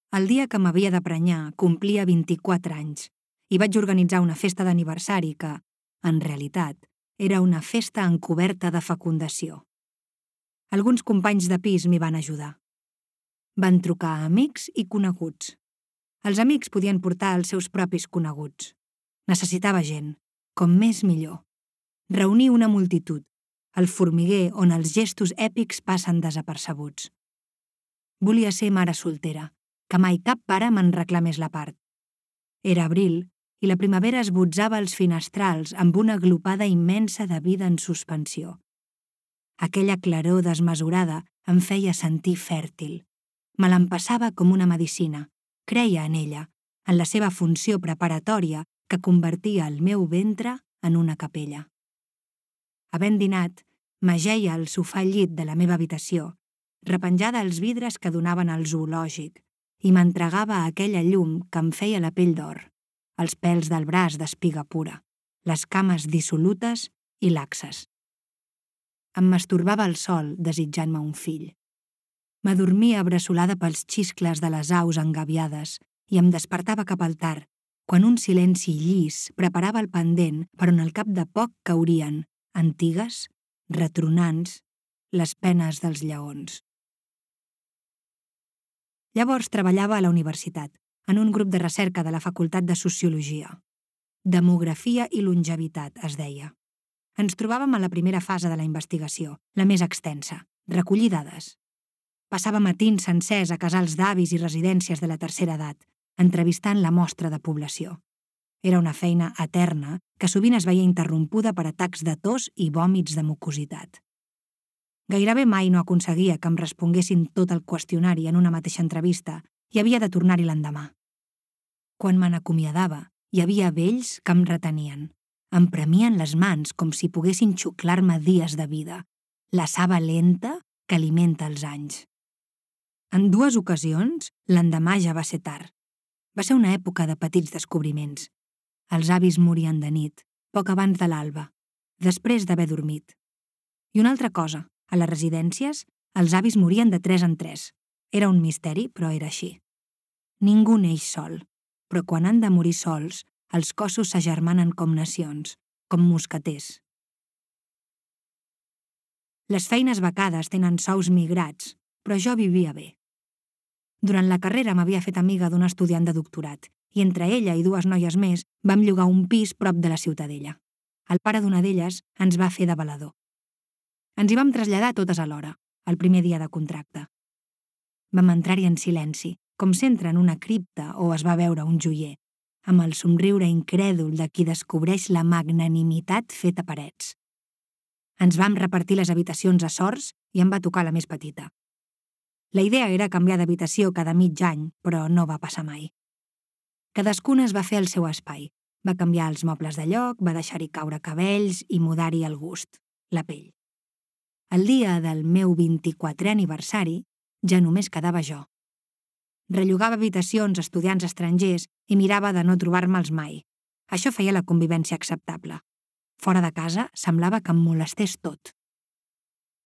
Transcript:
El dia que m'havia de prenyar complia 24 anys i vaig organitzar una festa d'aniversari que, en realitat, era una festa encoberta de fecundació. Alguns companys de pis m'hi van ajudar. Van trucar a amics i coneguts. Els amics podien portar els seus propis coneguts. Necessitava gent, com més millor. Reunir una multitud, el formiguer on els gestos èpics passen desapercebuts. Volia ser mare soltera, que mai cap pare me'n reclamés la part. Era abril i la primavera esbotzava els finestrals amb una glopada immensa de vida en suspensió. Aquella claror desmesurada em feia sentir fèrtil. Me l'empassava com una medicina. Creia en ella, en la seva funció preparatòria que convertia el meu ventre en una capella. Havent dinat, m'ajeia al sofà llit de la meva habitació, repenjada als vidres que donaven al zoològic, i m'entregava a aquella llum que em feia la pell d'or, els pèls del braç d'espiga pura, les cames dissolutes i laxes. Em masturbava al sol desitjant-me un fill. M'adormia abraçolada pels xiscles de les aus engaviades i em despertava cap al tard, quan un silenci llis preparava el pendent per on al cap de poc caurien, antigues, retronants, les penes dels lleons. Llavors treballava a la universitat, en un grup de recerca de la Facultat de Sociologia. Demografia i longevitat, es deia. Ens trobàvem a la primera fase de la investigació, la més extensa, recollir dades. Passava matins sencers a casals d'avis i residències de la tercera edat, entrevistant la mostra de població. Era una feina eterna que sovint es veia interrompuda per atacs de tos i vòmits de mucositat. Gairebé mai no aconseguia que em responguessin tot el qüestionari en una mateixa entrevista i havia de tornar-hi l'endemà. Quan me n'acomiadava, hi havia vells que em retenien. Em premien les mans com si poguessin xuclar-me dies de vida, la saba lenta que alimenta els anys. En 2 ocasions, l'endemà ja va ser tard. Va ser una època de petits descobriments. Els avis morien de nit, poc abans de l'alba, després d'haver dormit. I una altra cosa, a les residències, els avis morien de 3 en 3. Era un misteri, però era així. Ningú neix sol, però quan han de morir sols, els cossos s'agermanen com nacions, com mosqueters. Les feines becades tenen sous migrats, però jo vivia bé. Durant la carrera m'havia fet amiga d'una estudiant de doctorat i entre ella i 2 noies més vam llogar un pis prop de la Ciutadella. El pare d'una d'elles ens va fer de valedor. Ens hi vam traslladar totes alhora, el primer dia de contracte. Vam entrar-hi en silenci, com s'entra en una cripta o es va veure un joier, amb el somriure incrèdul de qui descobreix la magnanimitat feta parets. Ens vam repartir les habitacions a sorts i em va tocar la més petita. La idea era canviar d'habitació cada mig any, però no va passar mai. Cadascuna es va fer el seu espai. Va canviar els mobles de lloc, va deixar-hi caure cabells i mudar-hi el gust, la pell. El dia del meu 24è aniversari ja només quedava jo. Rellogava habitacions a estudiants estrangers i mirava de no trobar-me'ls mai. Això feia la convivència acceptable. Fora de casa semblava que em molestés tot.